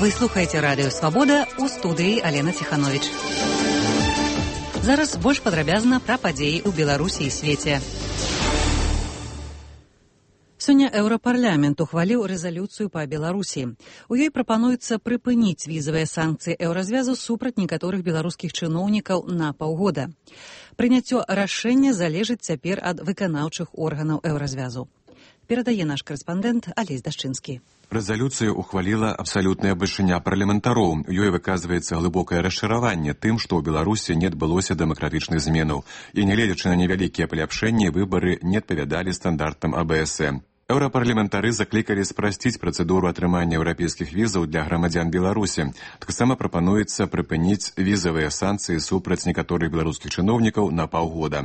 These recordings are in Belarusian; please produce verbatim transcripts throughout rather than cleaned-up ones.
Вы слухаеце радыё Свабода, у студыі Алена Ціхановіч. Зараз больш падрабязна пра падзеі ў Беларусі і свеце. Сёння Еўрапарламент ухваліў рэзалюцыю па Беларусі. У ёй прапануецца прыпыніць візавыя санкцыі Еўразвязу супраць некаторых беларускіх чыноўнікаў на паўгода. Прыняццё рашэння залежыць цяпер ад выканаўчых органаў Еўразвязу. Перадае наш карэспандэнт Алесь Дашчынскі. Рэзалюцыя ухваліла абсалютная бальшыня парламентароў. Ёй выказваецца глыбокае расчараванне тым, што ў Беларусі не адбылося дэмакратычных зменаў. І нягледзячы на невялікія паляпшэнні, выбары не адпавядалі стандартам А Б С Э. Еўрапарламентары заклікалі спрасціць працэдуру атрымання еўрапейскіх візаў для грамадзян Беларусі. Таксама прапануецца прыпыніць візавыя санкцыі супраць некаторых беларускіх чыноўнікаў на паўгода.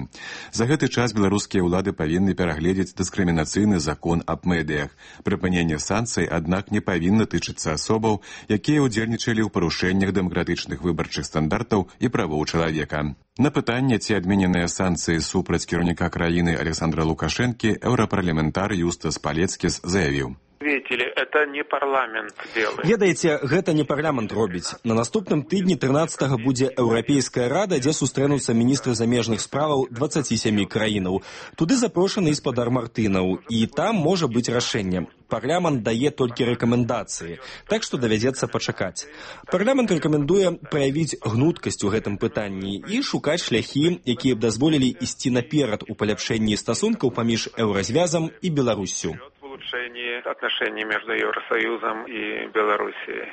За гэты час беларускія ўлады павінны перагледзець дыскрымінацыйны закон аб медыях. Прыпыненне санкцый, аднак, не павінна тычыцца асобаў, якія ўдзельнічалі ў парушэннях дэмакратычных выбарчых стандартаў і правоў чалавека. На пытанне, ці адмененыя санкцыі супраць кіраўніка краіны Александра Лукашэнкі, еўрапарламентар Юстас Палецкіс заявіў. Это не парламент делает. Ведаеце, гэта не парламент робіць. На наступным тыдні трынаццатага будзе Еўрапейская рада, дзе сустрэнуцца міністры замежных справаў дваццаці сямі краінаў. Туды запрошаны гаспадар Мартынаў, і там можа быць рашэнне. Парламент дае толькі рэкамендацыі, так што давядзецца пачакаць. Парламент рэкамендуе праявіць гнуткасць у гэтым пытанні і шукаць шляхі, якія б дазволілі ісці наперад у паляпшэнні стасункаў паміж Еўразвязам і Беларуссю. Отношений между Евросоюзом и Белоруссией.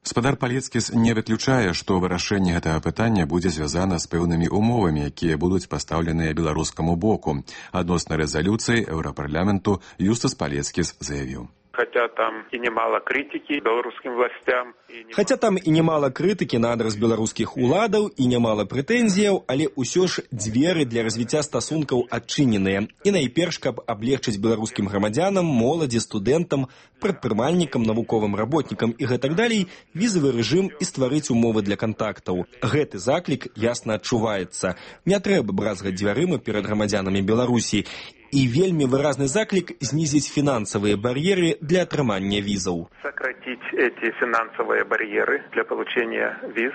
Гаспадар Палецкіс не выключае, што вырашэнне гэтага пытання будзе звязана з пэўнымі умовамі, якія будуць пастаўленыя беларускаму боку. Адносна рэзалюцыі Еўрапарламенту Юстас Палецкіс заявіў. Хотя там и немало критики белорусским властям. Не... Хотя там и немало критики на адрес беларускіх уладаў і немало прэтэнзіяў, але ўсё ж дзверы для развіцця стасункаў адчыненыя. І найперш, каб аблегчыць беларускім грамадзянам, моладзі, студэнтам, прадпрымальнікам, навуковым работнікам і гэтак далей, візавы рэжым і стварыць умовы для кантактаў. Гэты заклік ясна адчуваецца. Не трэба бразгаць дзвярыма перад грамадзянамі Беларусі. І вельмі выразны заклік знізіць фінансавыя бар'еры для атрымання візаў. Сократить эти финансовые барьеры для получения виз.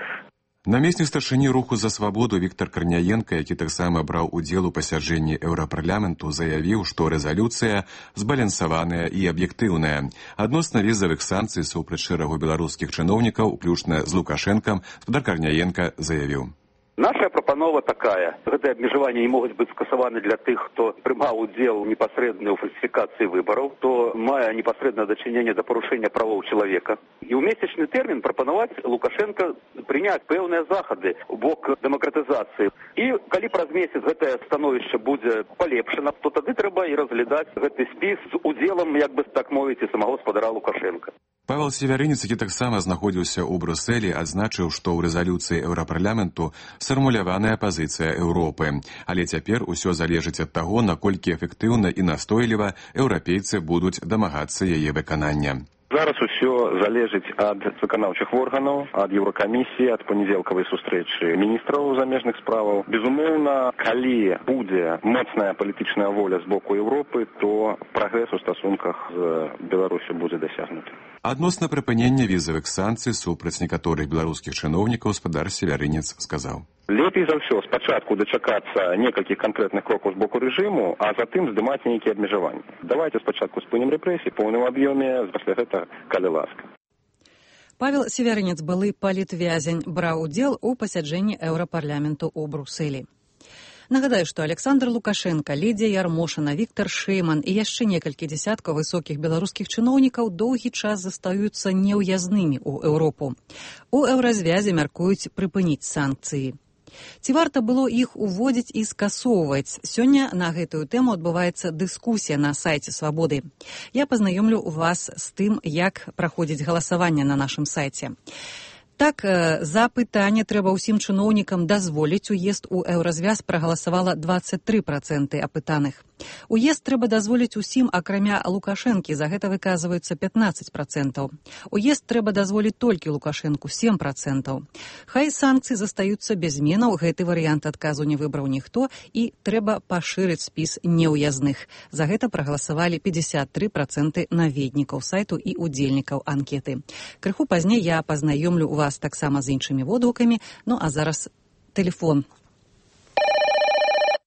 Намеснік старшыні руху за свабоду Віктор Карняенка, які таксама браў удзел у пасяджэнні Еўрапарламенту, заявіў, што рэзалюцыя збалансаваная і аб'ектыўная. Адносна візавых санкцый супраць шэрагу беларускіх чыноўнікаў, уключна з Лукашэнкам, гаспадар Карняенка заявіў. Наша прапанова такая. Гэтыя абмежаванні не могуць быць скасаваны для тых, хто прымаў удзел непасрэдна ў фальсіфікацыі выбараў, хто мае непасрэднае дачыненне да парушэння правоў чалавека. І ў месячны тэрмін прапанаваць Лукашенка прыняць пэўныя захады ў бок дэмакратызацыі. І калі праз месяц гэтае становішча будзе палепшана, то тады трэба і разглядаць гэты спіс з удзелам, як бы так мовіць, і самого гаспадара Лукашенка. Павел Севярынец, які таксама знаходзіўся ў Брусэлі, адзначыў, што ў рэзалюцыі Еўрапарламенту сфармуляваная пазіцыя Еўропы. Але цяпер усё залежыць ад таго, наколькі эфектыўна і настойліва еўрапейцы будуць дамагацца яе выканання. Зараз усё залежыць ад выканаўчых органаў, ад Еўракамісіі, ад панядзелкавай сустрэчы міністраў замежных справаў. Безумоўна, калі будзе моцная палітычная воля з боку Еўропы, то прагрэс у стасунках з Беларусю будзе дасягнуты. Адносна прыпынення візавых санкцый супраць некаторых беларускіх чыноўнікаў гаспадар Севярынец сказаў. Лепей за ўсё спачатку дачакацца некалькіх канкрэтных крокаў з боку рэжыму, а затым здымаць нейкія абмежаванні. Давайце спачатку спынім рэпрэсіі ў поўным аб'ёме, пасля гэтага калі ласка. Павел Севярынец, былы палітвязень, браў удзел у пасяджэнні Еўрапарламенту ў Брусэлі. Нагадаю, што Александр Лукашенко, Лідзія Ярмошына, Віктор Шэйман і яшчэ некалькі дзясяткаў высокіх беларускіх чыноўнікаў доўгі час застаюцца неўязнымі ў Еўропу. У Еўразвязе мяркуюць прыпыніць санкцыі. Ці варта было іх уводзіць і скасоўваць? Сёння на гэтую тэму адбываецца дыскусія на сайце Свабоды. Я пазнаёмлю вас з тым, як праходзіць галасаванне на нашым сайце. Так, за пытанне трэба ўсім чыноўнікам дазволіць уезд у Еўразвяз прагаласавала дваццаць тры працэнты апытаных. Уезд трэба дазволіць усім, акрамя Лукашэнкі, за гэта выказваюцца пятнаццаць працэнтаў. Уезд трэба дазволіць толькі Лукашэнку, сем працэнтаў. Хай санкцыі застаюцца без зменаў, гэты варыянт адказу не выбраў ніхто, і трэба пашырыць спіс неўязных. За гэта прагаласавалі пятьдесят три процента наведнікаў сайту і удзельнікаў анкеты. Крыху пазней я пазнаёмлю вас таксама з іншымі водгукамі, ну а зараз телефон.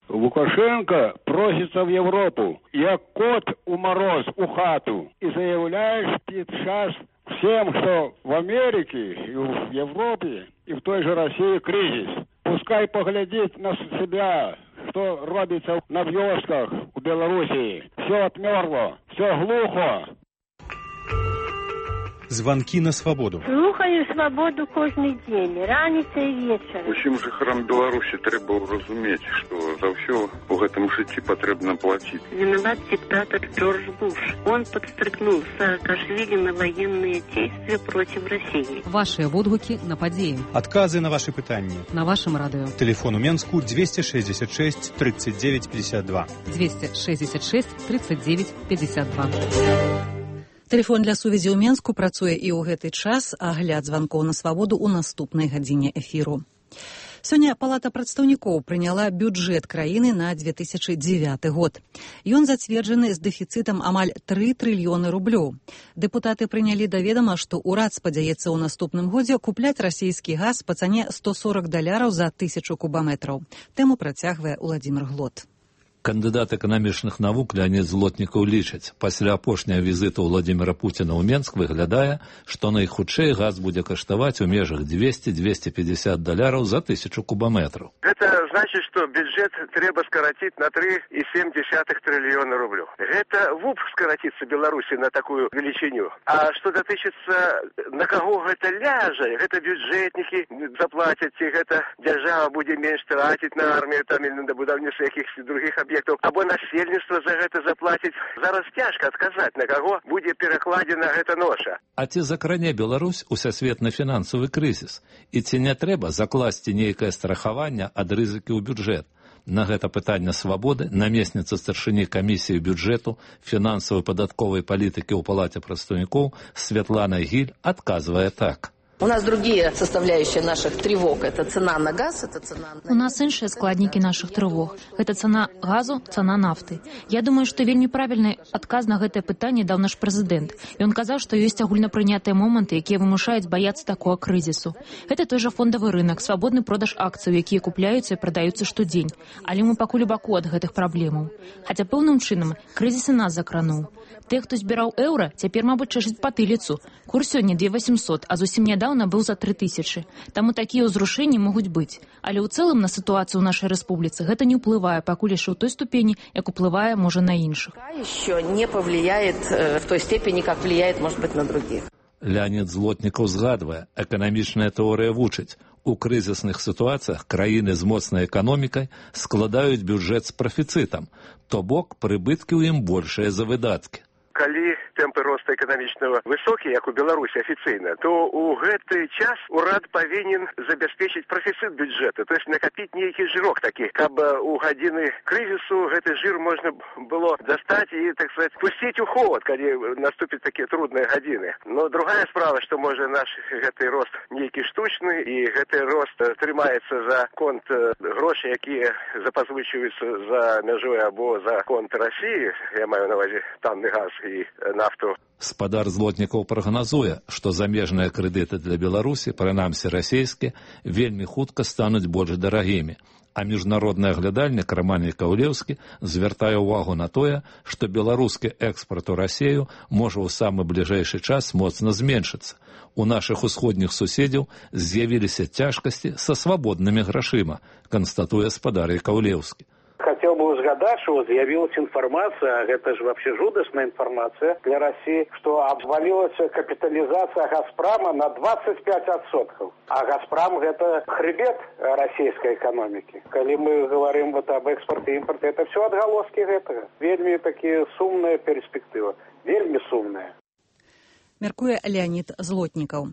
Лукашенко просится в Европу, як кот у мороз у хату, и заявляешь сейчас всем, что в Америке, и в Европе, и в той же России кризис. Пускай поглядит на себя, что робится на вёсках в Белоруссии. Все отмерло, все глухо. Звонки на свободу. Слухаю свободу кожный день, раніца і вечар. Усім жыхарам Беларусі трэба разумець, што за ўсё у гэтым жыцці патрэбна плаціць. Виноват диктатор Джордж Буш. Он подстрыкнул Саакашвили на военные действия против России. Ваши водгуки на падзеі. Отказы на ваши пытанні. На вашем радио. Телефон у Менску двести шестьдесят шесть тридцать девять пятьдесят два. двести шестьдесят шесть тридцать девять пятьдесят два. Тэлефон для сувязі ў Менску працуе і ў гэты час, агляд званкоў на свабоду ў наступнай гадзіне эфіру. Сёння Палата прадстаўнікоў прыняла бюджэт краіны на две тысячи девяты год. Ён зацверджаны з дэфіцытам амаль тры трыльёны рублёў. Дэпутаты прынялі да ведама, што ўрад спадзяецца ў наступным годзе купляць расійскі газ па цане сто сорок даляраў за тысячу кубаметраў. Тэму працягвае Уладзімір Глот. Кандыдат эканамічных навук Леонид Злотнікаў лічыць, пасля апошняга візіту Владимира Путина ў Менск выглядае, што найхутчэй газ будзе каштаваць у межах двести - двести пятьдесят даляраў за тысячу кубаметраў. Это значит, что бюджет трэба скоротить на три и семь десятых триллиона рублей. Это ВУП скоротится Беларуси на такую величиню. А что дотычится, на кого это ляжа, это бюджетники заплатят, это держава будет меньше тратить на армию там, или на будовництво каких-то других объектов, або насельніцтва за гэта заплаціць. Зараз цяжка адказаць, на каго будзе перакладзена гэта ноша. А ці закране Беларусь усесветны фінансавы крызіс? І ці не трэба закласці нейкае страхаванне ад рызыкі ў бюджэт? На гэта пытанне свабоды намесніца старшыні камісіі бюджэту фінансавай падатковай палітыкі ў Палаце прадстаўнікоў Святлана Гіль адказвае так. У нас другие составляющие наших тревог. Это цена на газ, это цена на... У нас іншыя складнікі наших трывог. Гэта цана газу, цана нафты. Я думаю, што вельмі правільны адказ на гэтае пытанне даў наш прэзідэнт. Ён казаў, што ёсць агульнапрынятыя моманты, якія вымушаюць баяцца такога крызісу. Гэта той жа фондавы рынок, свабодны продаж акцыяў, якія купляюцца і прадаюцца штодзень. Але мы пакуль у баку ад гэтых праблемаў. Хаця пэўным чынам крызіс і нас закрануў. Тых, хто збіраў еўра, цяпер, мабыць, чэшаць патыліцу. Курс сёння две восемьсот, а зусім нядаўна быў за три тысячи. Таму такія ўзрушэнні могуць быць. Але ў цэлым на сітуацыю ў нашай рэспубліцы гэта не ўплывае, пакуль яшчэ ў той ступені, як уплывае, можа, на іншых. Еще не повлияет в той степени, как влияет, может быть, на других. Леонид Злотнікаў згадвае, эканамічная тэорыя вучыць. У крызісных сітуацыях краіны з моцнай эканомікай складаюць бюджэт з прафіцытам, то бок прыбыткі ў ім большыя за выдаткі. Калі тэмпы роста эканамічнага высокія, як у Беларусі афіцыйна, то ў гэты час урад павінен забяспечыць прафіцыт бюджэта, то есть накапіць нейкі жырок такі, каб у гадзіны крызісу гэты жыр можна было дастаць і, так сказать, пусціць у ход, калі наступяць такія трудныя гадзіны. Но другая справа, што можа наш гэты рост нейкі штучны, і гэты рост трымаецца за конт грошай, якія запазвычваюцца за мяжой або за конт Расіі, я маю на ўвазе танны газ і нафту. Спадар Злотнікаў прагназуе, што замежныя крэдыты для Беларусі, прынамсі расійскія, вельмі хутка стануць больш дарагімі. А міжнародны аглядальнік Раман Якаўлеўскі звяртае ўвагу на тое, што беларускі экспарт у Расію можа ў самы бліжэйшы час моцна зменшыцца. У нашых усходніх суседзяў з'явіліся цяжкасці са свабоднымі грашыма, канстатуе спадар Якаўлеўскі. Хотел бы узгадать, что з'явилась информация, это же вообще жудасная информация для России, что обвалилась капитализация «Газпрома» на двадцать пять процентов. А «Газпром» — это хребет российской экономики. Когда мы говорим вот об экспорте и импорте, это все отголоски этого. Вельми такие сумная перспектива. Вельми сумная. мяркуе Леонід Злотнікаў.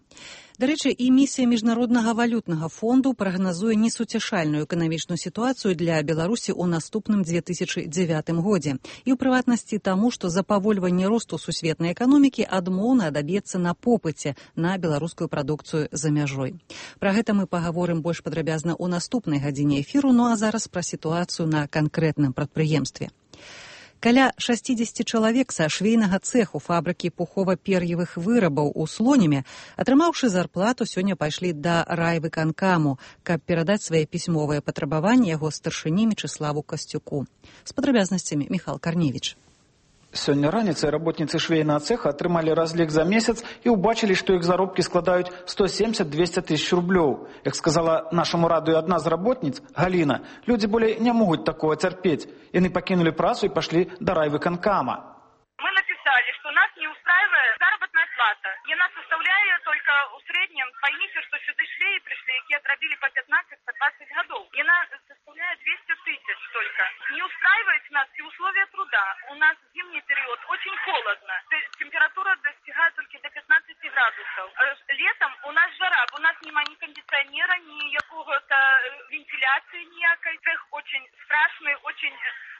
Дарэчы, і місія Міжнароднага валютнага фонду прагназуе несуцяшальную эканамічную сітуацыю для Беларусі ў наступным две тысячы дзевятым годзе. І ў прыватнасці таму, што запавольванне росту сусветнай эканомікі адмоўна адаб'ецца на попыце на беларускую прадукцыю за мяжой. Пра гэта мы пагаворым больш падрабязна ў наступнай гадзіне эфіру, ну а зараз пра сітуацыю на канкрэтным прадпрыемстве. Каля шасцідзесят чалавек са швейнага цэху фабрыкі пухова-пер'евых вырабаў у Слоніме, атрымаўшы зарплату, сёння пайшлі да райвыканкаму, каб перадаць свае пісьмовыя патрабаванні яго старшыні Мечыславу Касцюку. З падрабязнасцямі Міхал Карневіч. Сёння раніцай работніцы швейнага цеха атрымалі разлік за месяц і ўбачылі, што іх заробкі складаюць сто семьдесят - двести тысяч рублёў. Як сказала нашаму радыё адна з работніц, Галіна, людзі болей не могуць такого цярпець. Яны пакінулі працу і пашлі да райвыканкама. Мы написали, что нас не устраивает заработная плата. И она составляет только в среднем, поймите, что сюда швеи пришли, которые отробили по пятнадцать - по двадцать годов. И она составляет двести тысяч только. Не устраивает нас и условия труда. У нас зимний период очень холодно. Температура достигает только до пятнадцати градусов. Летом у нас жара. У нас нема ни кондиционера, ни какого-то вентиляции никакой. Цех очень страшный, очень...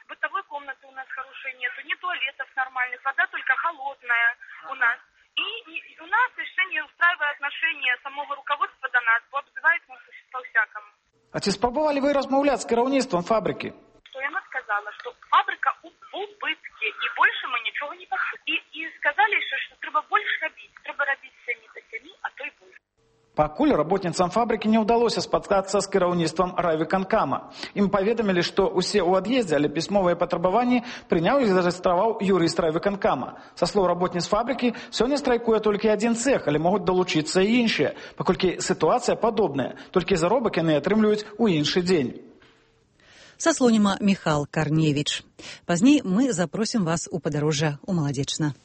Бытовой комнаты у нас хорошей нету, ни туалетов нормальных, вода только холодная у нас. И, и у нас еще не устраивает отношение самого руководства до нас, бо обзывает нас по-всякому. А ці спробовали вы размовлять с керівництвом фабрики? Что она сказала, что фабрика у убытке, и больше мы ничего не пошли. И, и сказали еще, что треба больше робить, треба робить семи до семи, а то и больше. Пакуль работніцам фабрыкі не ўдалося спаткацца з кіраўніцтвам райвыканкама. Ім паведамілі, што ўсе ў ад'ездзе, але пісьмовыя патрабаванні прыняў і зарэгістраваў юрыст райвыканкама. Са слоў работніц фабрыкі, сёння страйкуе толькі адзін цэх, але могуць далучыцца і іншыя, паколькі сітуацыя падобная, толькі заробак яны атрымліваюць у іншы дзень. Са Слоніма Міхал Карневіч. Пазней мы запросім вас у падарожжа ў Маладзечна.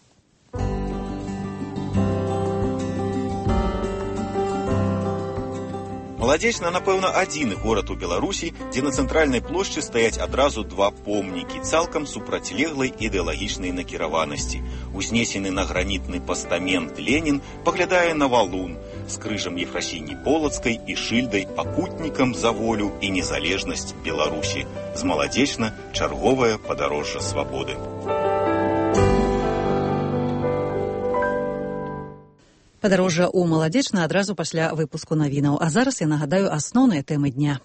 Маладзечна, напэўна, адзіны горад у Беларусі, дзе на цэнтральнай плошчы стаяць адразу два помнікі цалкам супрацьлеглай ідэалагічнай накіраванасці. Узнесены на гранітны пастамент Ленін паглядае на валун з крыжам Ефрасіні Полацкай і шыльдай пакутнікам за волю і незалежнасць Беларусі. З Маладзечна чарговае падарожжа свабоды. Падарожжа ў Маладзечна адразу пасля выпуску навінаў. А зараз я нагадаю асноўныя тэмы дня.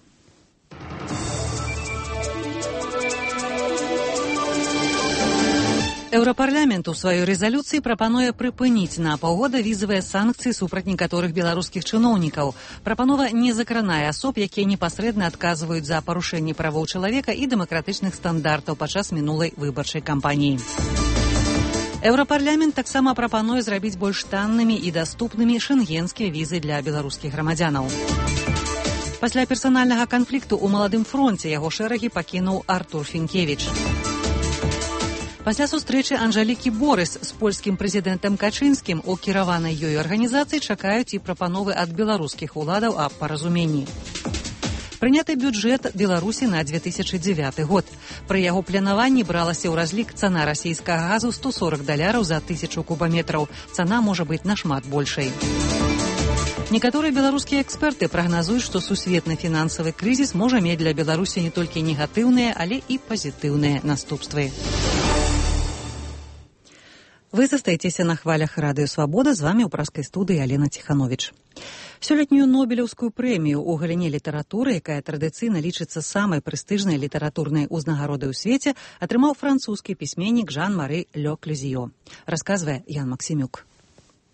Еўрапарламент у сваёй рэзалюцыі прапануе прыпыніць на паўгода візавыя санкцыі супраць некаторых беларускіх чыноўнікаў. Прапанова не закранае асоб, якія непасрэдна адказваюць за парушэнне правоў чалавека і дэмакратычных стандартаў падчас мінулай выбарчай кампаніі. Еўрапарламент таксама прапануе зрабіць больш таннымі і даступнымі шэнгенскія візы для беларускіх грамадзянаў. Пасля персанальнага канфлікту ў маладым фронце яго шэрагі пакінуў Артур Фінкевіч. Пасля сустрэчы Анжалікі Борыс з польскім прэзідэнтам Качынскім у кіраванай ёй арганізацыі чакаюць і прапановы ад беларускіх уладаў аб паразуменні. Прыняты бюджэт Беларусі на две тысячы дзевяты год. Пры яго планаванні бралася ў разлік цана расійскага газу сто сорок даляраў за тысячу кубаметраў. Цана можа быць нашмат большай. Некаторыя беларускія эксперты прагназуюць, што сусветны фінансавы крызіс можа мець для Беларусі не толькі негатыўныя, але і пазітыўныя наступствы. Вы застаецеся на хвалях радыё «Свабода», з вамі ў праскай студыі Алена Ціхановіч. Сёлетнюю Нобелеўскую прэмію ў галіне літаратуры, якая традыцыйна лічыцца самай прэстыжнай літаратурнай узнагародай у свеце, атрымаў французскі пісьменнік Жан-Мары Ле Клюзіё. Расказвае Ян Максімюк.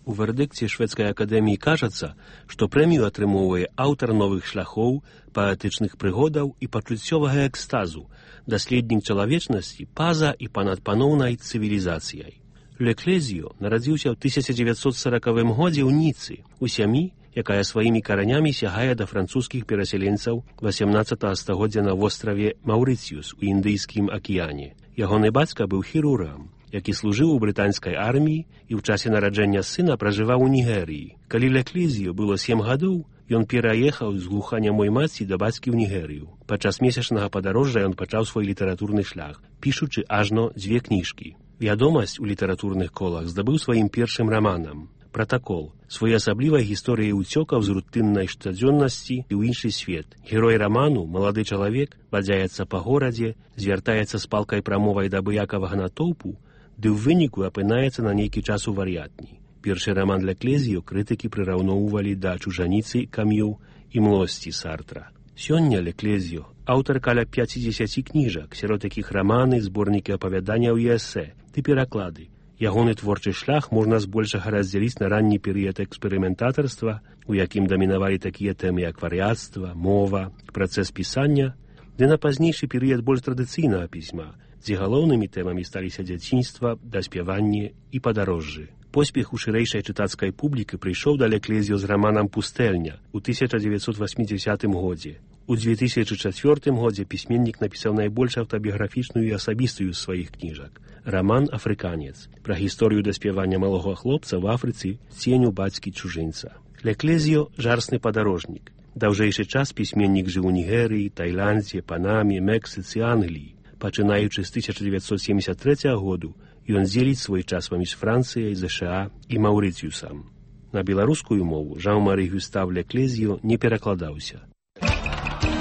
У вердыкце шведскай акадэміі кажацца, што прэмію атрымоўвае аўтар новых шляхоў, паэтычных прыгодаў і пачуццёвага экстазу, даследнік чалавечнасці па-за і па-над паноўнай цывілізацыяй. Ле Клюзіё нарадзіўся ў тысяча дзевяцьсот саракавым годзе ў Ніцы, у сям'і, якая сваімі каранямі сягае да французскіх перасяленцаў васямнаццатага стагоддзя на востраве Маўрыцыюс у Індыйскім акіяне. Ягоны бацька быў хірургам, які служыў у брытанскай арміі і ў часе нараджэння сына пражываў у Нігерыі. Калі Ле Клюзіё было сем гадоў, ён пераехаў з глуханямой маці да бацькі ў Нігерыю. Падчас месячнага падарожжа ён пачаў свой літаратурны шлях, пішучы ажно дзве кніжкі. Вядомасць у літаратурных колах здабыў сваім першым раманам «Пратакол», своеасаблівай гісторыяй уцёкаў з рутыннай штодзённасці і ў іншы свет. Герой раману, малады чалавек, бадзяецца па горадзе, звяртаецца з палкай прамовай да абыякавага натоўпу, ды ў выніку апынаецца на нейкі час у вар'ятні. Першы раман Леклезіо крытыкі прыраўноўвалі да чужаніцы Кам'ю і млосці Сартра. Сёння Леклезіо аўтар каля пяцідзесяці кніжак, сярод якіх раманы, зборнікі апавяданняў і эсэ, ды пераклады. Ягоны творчы шлях можна збольшага раздзяліць на ранні перыяд эксперыментатарства, у якім дамінавалі такія тэмы як вар'яцтва, мова, працэс пісання, ды на пазнейшы перыяд больш традыцыйнага пісьма, дзе галоўнымі тэмамі сталіся дзяцінства, даспяванне і падарожжы. Поспех у шырэйшай чытацкай публікі прыйшоў да Леклезіо з раманам «Пустэльня» ў тысяча дзевяцьсот васьмідзесятым годзе. У дзве тысячы чацвёртым годзе пісьменнік напісаў найбольш аўтабіяграфічную і асабістую з сваіх кніжак – раман «Афрыканец» пра гісторыю даспявання малога хлопца ў Афрыцы ценю бацькі чужынца. Леклезіо – жарсны падарожнік. Даўжэйшы час пісьменнік жыў у Нігерыі, Тайландзе, Панаме, Мексіцы, Англіі. Пачынаючы з тысяча дзевяцьсот семдзесят трэцяга году, ён дзеліць свой час паміж Францыяй, ЗША і Маўрыцыюсам. На беларускую мову Жан-Мары Гюстав Леклезіо не перакладаўся.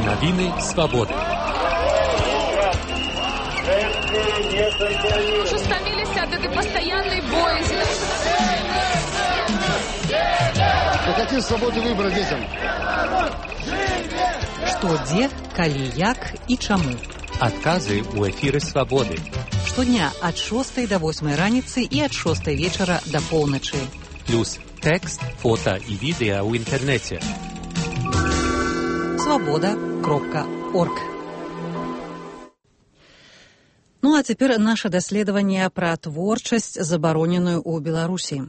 Новины свободы. Уже стомились от этой постоянной боязни. А какие свободы выбора детям? Што, дзе, калі, як і чаму. Адказы ў эфіры свабоды. Штодня ад шостай да восьмай раніцы і ад шостай вечара да поўначы. Плюс тэкст, фота і відэа ў інтэрнэце. свобода кропка орг. Ну а цяпер наша даследаванне пра творчасць, забароненую ў Беларусі.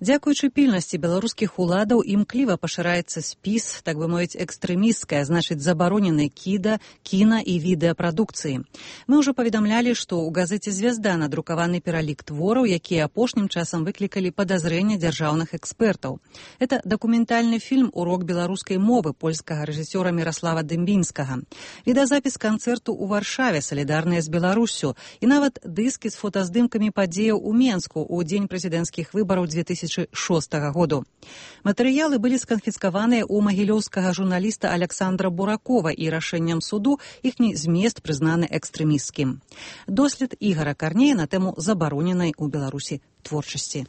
Дзякуючы пільнасці беларускіх уладаў імкліва пашыраецца спіс, так бы мовіць, экстрэмісцкая, значыць, забароненай кіда, кіна і відэапрадукцыі. Мы ўжо паведамлялі, што ў газеце «Звязда» надрукаваны пералік твораў, якія апошнім часам выклікалі падазрэння дзяржаўных экспертаў. Это дакументальны фільм «Урок беларускай мовы» польскага рэжысёра Міраслава Дымбінскага, відэазапіс канцэрту ў Варшаве «Салідарныя з Беларуссю» і нават дыскі з фотаздымкамі падзеяў у Менску ў дзень прэзідэнцкіх выбараў две тысячи шостага году. Матэрыялы былі сканфіскаваныя ў магілёўскага журналіста Александра Буракова і рашэннем суду іхні змест прызнаны экстрэмісцкім. Дослед Ігара Карнея на тэму забароненай у Беларусі творчасці.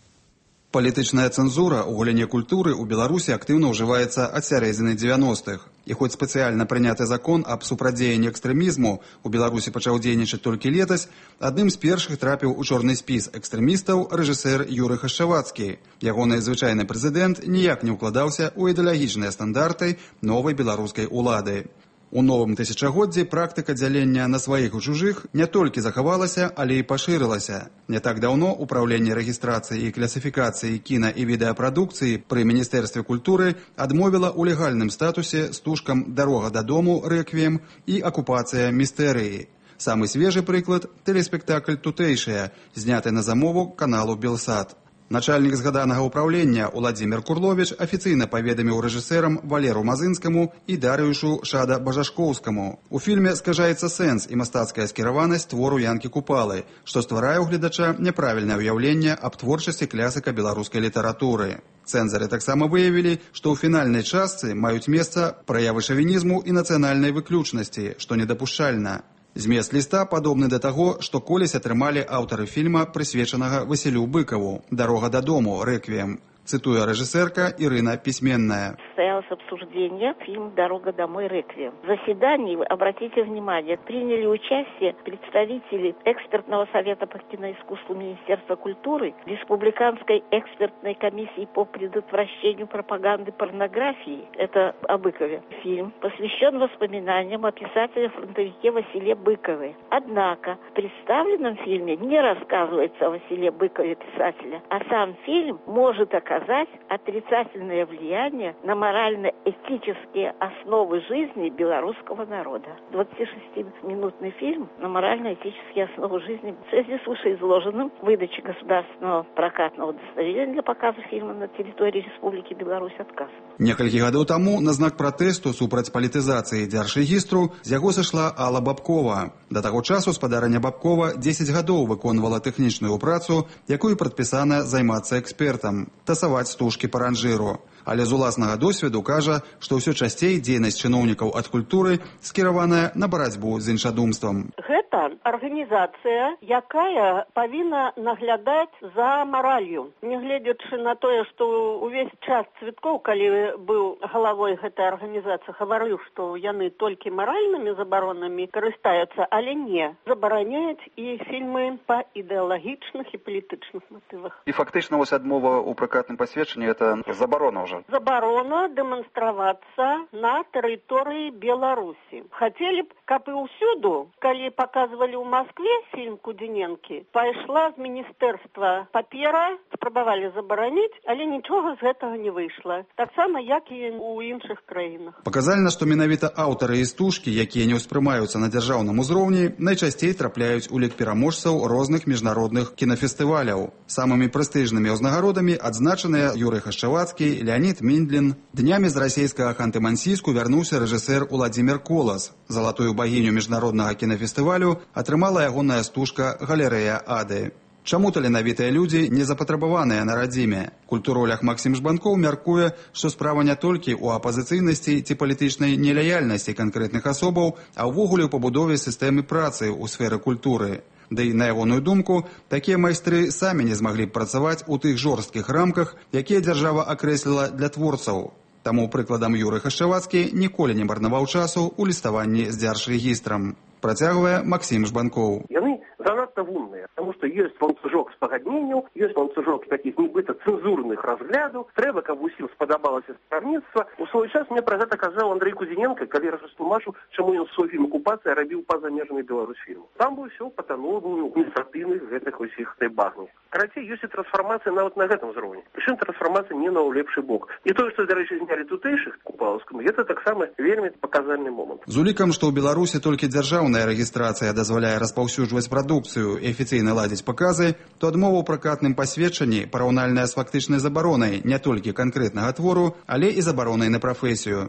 Палітычная цэнзура ў галіне культуры ў Беларусі актыўна ўжываецца ад сярэдзіны дзевяностых. І хоць спецыяльна прыняты закон аб супрацьдзеянні экстрэмізму у Беларусі пачаў дзейнічаць толькі летась, адным з першых трапіў у чорны спіс экстрэмістаў рэжысэр Юрый Хашчавацкі. Ягоны звычайны прэзідэнт ніяк не ўкладаўся ў ідэалагічныя стандарты новай беларускай улады. У новым тысячагоддзі практыка дзялення на сваіх і чужых не толькі захавалася, але і пашырылася. Не так даўно Управленне рэгістрацыі і класіфікацыі кіна і відэапрадукцыі пры Міністэрстве культуры адмовіла ў легальным статусе стужкам «Дарога дадому» рэквіем і «Акупацыя містэрыі». Самы свежы прыклад – тэлеспектакль «Тутэйшая», зняты на замову каналу «Белсат». Начальнік згаданага ўправлення Уладзімір Курловіч афіцыйна паведаміў рэжысэрам Валеру Мазынскаму і Дарыюшу Шада Бажашкоўскаму. У фільме скажаецца сэнс і мастацкая скіраванасць твору Янкі Купалы, што стварае ў гледача няправільнае ўяўленне аб творчасці клясіка беларускай літаратуры. Цэнзары таксама выявілі, што ў фінальнай частцы маюць месца праявы шавінізму і нацыянальнай выключнасці, што недапушчальна. Змест ліста падобны да таго, што колісь атрымалі аўтары фільма, прысвечанага Васілю Быкаву «Дарога дадому» рэквіем. Цитуя режиссерка Ирина Письменная. Состоялось обсуждение фильма «Дорога домой. Реквием». В заседании, обратите внимание, приняли участие представители экспертного совета по киноискусству Министерства культуры, Республиканской экспертной комиссии по предотвращению пропаганды порнографии, это о Быкове. Фильм посвящен воспоминаниям о писателе-фронтовике Василе Быкове. Однако в представленном фильме не рассказывается о Василе Быкове писателя, а сам фильм может оказать отрицательное влияние на морально-этические основы жизни белорусского народа. двадцатишестиминутный фильм на морально-этические основы жизни. В связи с вышеизложенным выдаче государственного прокатного удостоверения для показа фильма на территории Республики Беларусь отказ. Некалькі гадоў таму на знак пратэсту супраць палітызацыі дзяржрэгістру з яго сышла Алла Бабкова. Да таго часу спадарыня Бабкова дзесяць гадоў выконвала тэхнічную працу, якую прадпісана займацца экспертам, тасаваць стужкі па ранжыру. Але з уласнага досведу кажа, што ўсё часцей дзейнасць чыноўнікаў ад культуры скіраваная на барацьбу з іншадумствам. Гэта арганізацыя, якая павінна наглядаць за маралью. Нягледзячы на тое, што увесь час Цвіткоў, калі быў галавой гэтай арганізацыі, гаварыў, што яны толькі маральнымі забаронамі карыстаюцца, але не. Забараняюць і фільмы па ідэалагічных і палітычных матывах. І фактычна вось адмова ў пракатным пасведчанні это забарона ўжо. Забарона дэманстравацца на тэрыторыі Беларусі. Хацелі б, каб і ўсюду, калі паказвалі ў Маскве фільм Кудзіненкі, пайшла з міністэрства папера, спрабавалі забараніць, але нічога з гэтага не выйшла. Таксама, як і ў іншых краінах. Паказальна, што менавіта аўтары і стужкі, якія не ўспрымаюцца на дзяржаўным узроўні, найчасцей трапляюць у лік пераможцаў розных міжнародных кінафестываляў. Самымі прэстыжнымі ўзнагародамі адзначаныя Юрый Хашчавацкі, Леонид Миндлин. Днями з расійскага Ханты-Мансійску вярнуўся рэжысэр Уладзімір Колас. Залатую багіню міжнароднага кінафестывалю атрымала ягоная стужка «Галерэя Ады». Чаму таленавітыя людзі не запатрабаваныя на радзіме? Культуролях Максім Жбанкоў мяркуе, што справа не толькі ў апазіцыйнасці ці палітычнай нелаяльнасці канкрэтных асобаў, а ўвогуле ў пабудове сістэмы працы ў сферы культуры. Да і на ягоную думку, такія майстры самі не змаглі б працаваць у тых жорсткіх рамках, якія дзяржава акрэсліла для творцаў. Таму прыкладам Юрый Хашчавацкі ніколі не марнаваў часу ў ліставанні з дзяржрэгістрам. Працягвае Максім Жбанкоў. Яны занадта вумныя, таму што ёсць ланцужок спагадненняў, ёсць ланцужок такіх нібыта цэнзурных разглядаў. Трэба, каб усім спадабалася стаўніцтва. У свой час мне пра гэта казаў Андрэй Кузіненка, калі растлумачыў, чаму ён свой фільм «Акупацыя» рабіў па-за межамі Беларусьфільму. Там бы ўсё патанула ў адміністратыўных гэтых усіх этой багні. Карацей, ёсць і трансфармацыя нават на гэтым узроўні. Прычым трансфармацыя не на ў лепшы бок. І тое, што, дарэчы, знялі тутэйшых купалаўскаму, гэта таксама вельмі паказальны момант. З улікам, што ў Беларусі толькі дзяржаўная рэгістрацыя дазваляе распаўсюджваць прадукцыю і афіцыйна ладзіць паказы, то адмова ў пракатным пасведчанні параўнальная з фактычнай забаронай не толькі канкрэтнага твору, але і забаронай на прафесію.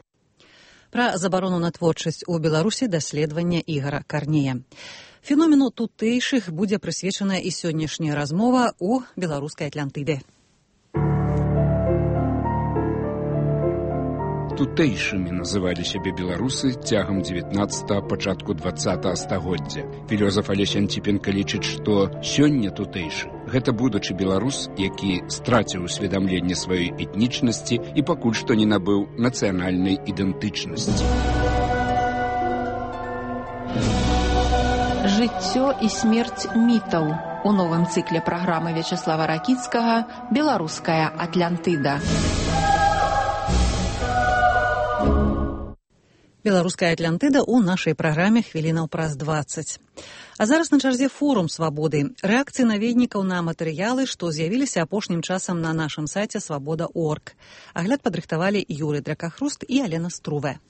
Пра забарону на творчасць у Беларусі даследавання Ігара Карнея. Феномену тутэйшых будзе прысвечаная і сённяшняя размова у беларускай Атлантыдзе. Тутэйшымі называлі сябе беларусы цягам дзевятнаццатага, пачатку дваццатага стагоддзя. Філёзаф Алесь Антіпенка лічыць, што сёння тутэйшы – гэта будучы беларус, які страціў усведамленне сваёй этнічнасці і пакуль што не набыў нацыянальнай ідэнтычнасці. Жыццё і смерць мітаў. У новым цыкле праграмы Вячаслава Ракіцкага «Беларуская Атлантыда». Беларуская Атлантыда ў нашай праграме хвілінаў праз дваццаць. А зараз на чарзе форум свабоды. Рэакцыі наведнікаў на матэрыялы, што з'явіліся апошнім часам на нашым сайце свабода точка орг. Агляд падрыхтавалі Юрый Дракахруст і Алена Струве.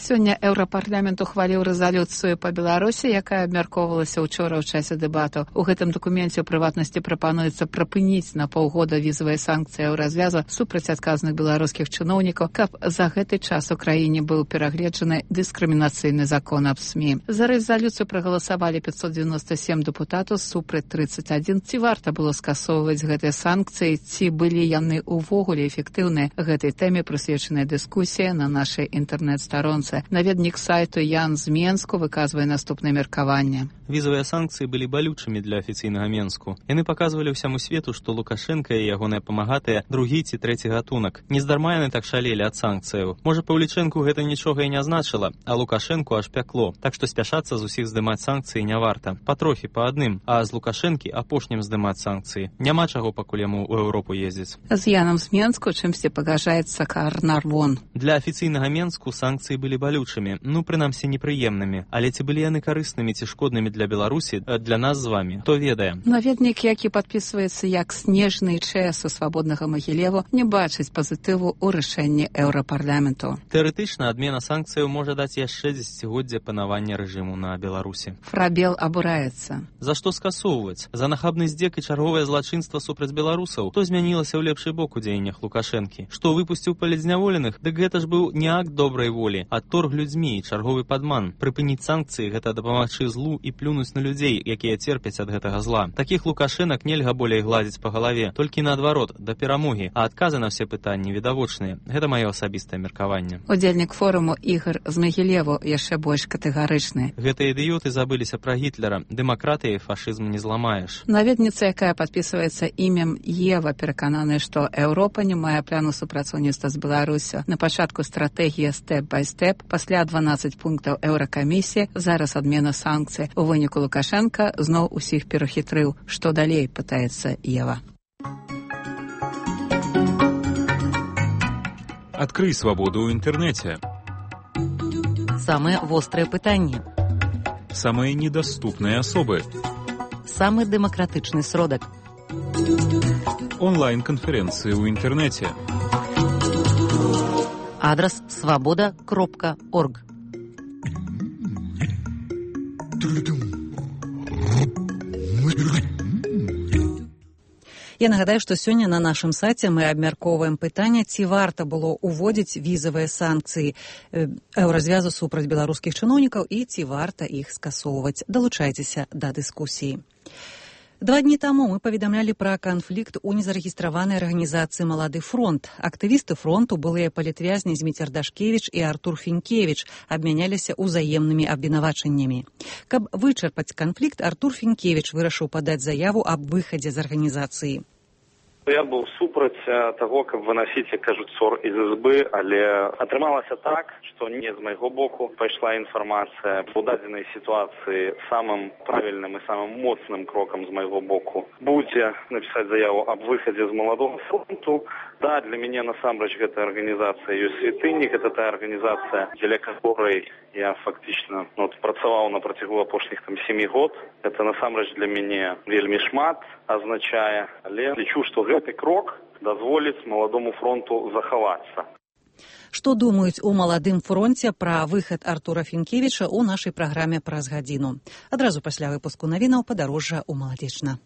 Сёння Еўрапарламент ухваліў рэзалюцыю па Беларусі, якая абмяркоўвалася ўчора ў часе дэбатаў. У гэтым дакуменце ў прыватнасці прапануецца прапыніць на паўгода візавыя санкцыі ў развяза супраць адказных беларускіх чыноўнікаў, каб за гэты час у краіне быў перагледжаны дыскрымінацыйны закон аб СМІ. За рэзалюцыю прагаласавалі пятьсот девяносто семь дэпутатаў, супраць тридцать один. Ці варта было скасоўваць гэтыя санкцыі, ці былі яны ўвогуле эфектыўныя? Гэтай тэме прысвечаная дыскусія на нашай інтэрнэт-старонцы. Наведнік сайту Ян з Менску выказвае наступнае меркаванне. Візавыя санкцыі былі балючымі для афіцыйнага Менску. Яны паказвалі ўсяму свету, што Лукашенка і ягоныя памагатыя другі ці трэці гатунак. Нездарма яны так шалелі ад санкцыяў. Можа, Паўлічэнку гэта нічога і не значыла, а Лукашенку аж пякло. Так што спяшацца з усіх здымаць санкцыі не варта. Патрохі, па адным, а з Лукашэнкі апошнім здымаць санкцыі. Няма чаго пакуль яму ў Еўропу ездзіць. З Янам з Менску чымсьці пагажаецца Карнарвон. Для афіцыйнага Менску санкцыі былі былі балючымі, ну, прынамсі, непрыемнымі. Але ці былі яны карыснымі ці шкоднымі для Беларусі, для нас з вамі, хто ведае. Наведнік, які падпісваецца як снежны чэс у свабоднага Магілеву, не бачыць пазітыву ў рашэнні Еўрапарламенту. Тэарэтычна адмена санкцыяў можа даць яшчэ дзесяцігоддзе панавання рэжыму на Беларусі. Фрабел абураецца. За што скасоўваць? За нахабны здзек і чарговае злачынства супраць беларусаў? То змянілася ў лепшы бок у дзеяннях Лукашэнкі. Што выпусціў палітзняволеных? Дык гэта ж быў не акт добрай волі, а торг людзьмі і чарговы падман. Прыпыніць санкцыі – гэта дапамагчы злу і плюнуць на людзей, якія церпяць ад гэтага зла. Такіх Лукашэнак нельга болей гладзіць па галаве, толькі наадварот, да перамогі, а адказы на ўсе пытанні відавочныя. Гэта маё асабістае меркаванне. Удзельнік форуму Ігар з Магілеву яшчэ больш катэгарычны. Гэтыя ідыёты забыліся пра Гітлера. Дэмакратыяй фашызм не зламаеш. Наведніца, якая падпісваецца імем Ева, перакананая, што Еўропа не мае плану супрацоўніцтва з Беларусю. На пачатку стратэгія стэп-бай-стэп, пасля дванаццаць пунктаў Еўракамісіі, зараз адмена санкцый. У выніку Лукашенка зноў усіх перахітрыў. Што далей, пытаецца Ева. Открый свободу ў інтэрнэце. Самыя вострыя пытанні. Самые недоступные особы. Самы дэмакратычны сродак. Онлайн-конференции ў інтэрнэце. Адрес свобода кропка орг. Я нагадаю, што сёння на нашым сайце мы абмяркоўваем пытанне, ці варта было ўводзіць візавыя санкцыі еўразвязу супраць беларускіх чыноўнікаў і ці варта іх скасоўваць. Далучайцеся да дыскусіі. Два дні таму мы паведамлялі пра канфлікт у незарэгістраванай арганізацыі «Малады фронт». Актывісты фронту, былыя палітвязні Зміцер Дашкевіч і Артур Фінкевіч, абмяняліся ўзаемнымі абвінавачаннямі. Каб вычарпаць канфлікт, Артур Фінкевіч вырашыў падаць заяву аб выхадзе з арганізацыі. Я быў супраць таго, каб выносіць, як кажуць, ссор из избы, але атрымалася так, што не з майго боку пайшла інфармацыя. У дадзенай сітуацыі самым правільным і самым моцным крокам з майго боку будзе напісаць заяву аб выхадзе з маладога фронту. Да, для мяне насамрэч гэта арганізацыя ёсць святынік, гэта тая арганізацыя, дзеля которой я фактычна ну, працаваў на працягу апошніх там сямі год. Гэта насамрэч для мяне вельмі шмат азначае, але лічу, што гэты крок дазволіць маладому фронту захавацца. Што думаюць у маладым фронце пра выхад Артура Фінкевіча ў нашай праграме праз гадзіну. Адразу пасля выпуску навінаў падарожжа ў Маладзечна.